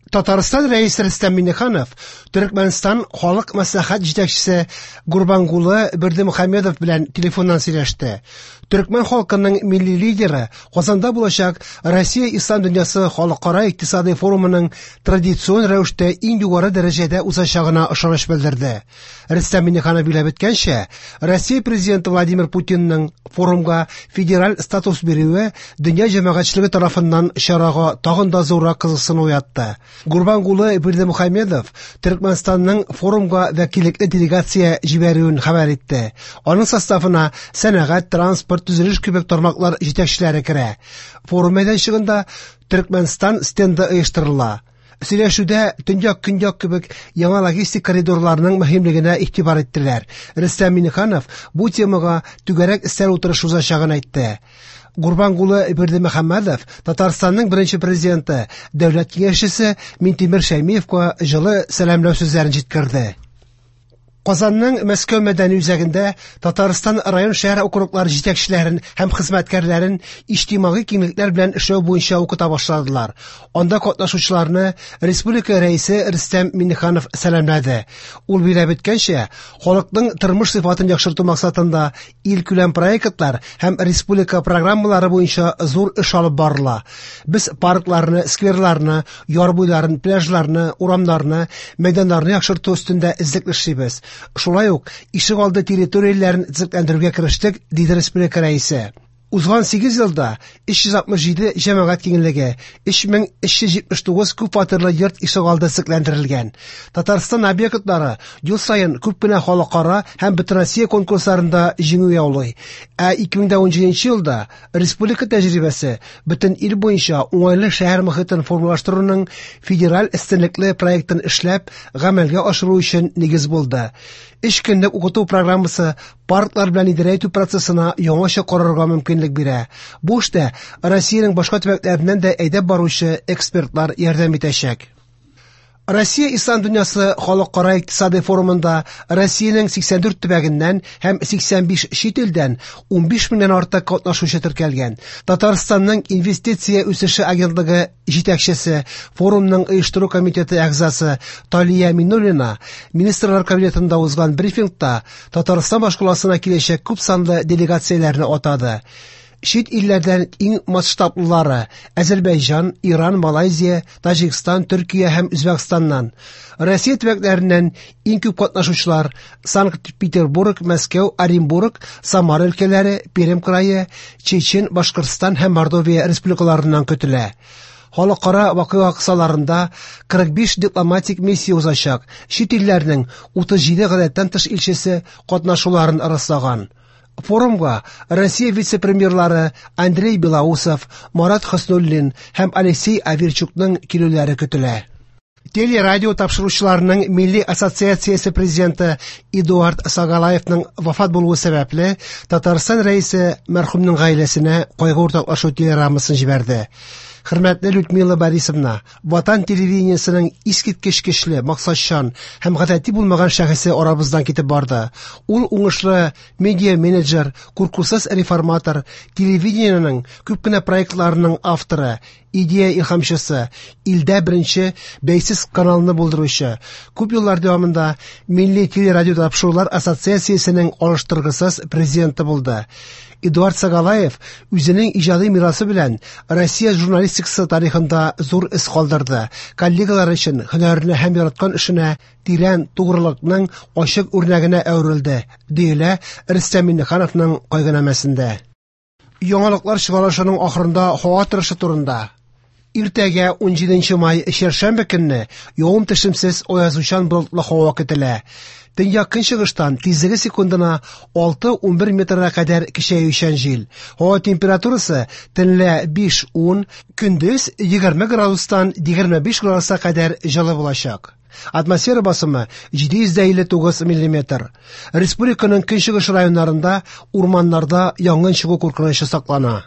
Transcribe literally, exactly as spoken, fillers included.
Татарстан Рәисе Рөстәм Миңнеханов Төркмәнстан Халык Мәслихәт җитәкчесе Гурбангулы Бердымөхәммедов белән телефоннан сөйләште. Төркмән халкының милли лидеры Казанда булачак Россия Ислам дөньясы халыкара икътисади форумының традицион рәвештә иң югары дәрәҗәдә узачагына ышаныч белдерде. Рөстәм Миңнеханов билгеләп үткәнчә, Россия президенты Владимир Путинның форумга федераль статус бирүе дөнья җәмәгатьчелеге тарафыннан чарага тагын да зуррак кызыксыну уятты. Гурбангулы Бердымөхәммедов Төркмәнстанның форумга вәкиллекле делегация җибәрүен хәбәр итте. Аның составына сәнәгать, транспорт, төзелеш кебек тармаклар җитәкчеләре керә. Форум мәйданчыгында Төркмәнстан стенды оештырыла. Сөйләшүдә төньяк-көньяк кебек яңа логистик коридорларның мөһимлегенә игътибар иттеләр. Рөстәм Миңнеханов бу темага түгәрәк өстәл утырышы узачагын әйтте. Гурбангулы Бердымөхәммедов Татарстанның беренче президенты, дәүләт киңәшчесе Минтимер Шәймиевка җылы сәламләү сүзләрен җиткерде. Казанның Мәскәү мәдәни үзәгендә Татарстан район шәһәр округлары җитәкчеләрен һәм хезмәткәрләрен иҗтимагый киңлекләр белән эшләү буенча укыта башладылар. Анда катнашучыларны республика рәисе Рөстәм Миңнеханов сәламләде. Ул билгеләп үткәнчә, халыкның тормыш сыйфатын яхшырту максатында илкүләм проектлар һәм республика программалары буенча зур эш алып барыла. Без паркларны, скверларны, яр буйларын, пляжларны, урамнарны, мәйданнарны яхшырту өстендә эзлекле эшлибез. Шулай ук ишегалды территорияләрен төзекләндерүгә керештек, диде республика рәисе. Узган сигез елда өч йөз алтмыш җиде җәмәгать киңлеге, өч мең өч йөз җитмеш тугыз күп фатирлы йорт ишегалды төзекләндерелгән. Татарстан объектлары ел саен күп кенә халыкара һәм бөтенроссия конкурсларында җиңү яулый. Ә ике мең дә унҗиденче елда республика тәҗрибәсе бөтен ил буенча уңайлы шәһәр мохитен формалаштыруның федераль өстенлекле проектын эшләп, гамәлгә ашыру өчен нигез булды. Өч көнлек укыту программасы парклар белән идарә итү процессына яңача карарга мөмкинлек бирә. Бу эштә Россиянең башка төбәкләреннән дә әйдәп баручы экспертлар ярдәм итәчәк. Россия Ислам дөньясы халыкара икътисади форумында Россиянең сиксән дүрт төбәгеннән һәм сиксән биш чит илдән унбиш меңнән артык катнашучы теркәлгән. Татарстанның инвестиция үсеше агентлыгы җитәкчесе, форумның оештыру комитеты әгъзасы Талия Миннуллина Министрлар кабинетында узган брифингта Татарстан башкаласына киләчәк күп санлы делегацияләрне атады. Чит илләрдән иң масштаблылары Азербайҗан, Иран, Малайзия, Таҗикстан, Төркия һәм Үзбәкстаннан. Россия төбәкләреннән иң күп катнашучылар Санкт-Петербург, Мәскәү, Оренбург, Самара өлкәләре, Пермь крае, Чечен, Башкортстан һәм Мордовия республикаларыннан көтелә. Халыкара вакыйга кысаларында кырык биш дипломатик миссия узачак. Чит илләрнең утыз җиде гадәттән тыш илчесе катнашуларын раслаган. Форумга Россия вице-премьерлары Андрей Белоусов, Марат Хөснуллин һәм Алексей Аверчукның килүләре көтелә. Телерадио тапшыручыларының Милли ассоциациясе президенты Эдуард Сагалаевның вафат булуы сәбәпле Татарстан рәисе мәрхүмнең гаиләсенә кайгы уртаклашу телеграммасын җибәрде. Хөрмәтле Людмила Борисовна, Ватан телевидениесенең искиткеч көчле, максатчан һәм гадәти булмаган шәхесе арабыздан китеп барды. Ул уңышлы медиа-менеджер, куркусыз реформатор, телевидениенең күп кенә проектларының авторы, идея илһамчысы, илдә беренче бәйсез каналны булдыручы, күп еллар дәвамында Милли телерадио тапшырулар ассоциациясенең алыштыргысыз президенты булды. Эдуард Сагалаев үзенең иҗади мирасы белән Россия журналистикасы тарихында зур эз калдырды. Коллегалары өчен һөнәренә һәм яраткан эшенә тирән тугрылыкның ачык үрнәгенә әверелде, диелә Рөстәм Миңнехановның кайгынамәсендә. Яңалыклар чыгарылышының ахырында һава торышы турында. Иртәгә унҗиденче май чәршәмбе көнне явым-төшемсез аязучан болытлы һава көтелә. Төньяк көнчыгыштан тизлеге секундына алты-унбер метрга кадәр көчәючән җил. Һава температурасы төнлә биш-ун, көндез егерме градустан егерме биш градуска кадәр җылы булачак. Атмосфера басымы җиде йөз дә илле тугыз миллиметр. Республиканың көнчыгыш районнарында урманнарда янгын чыгу куркынычы саклана.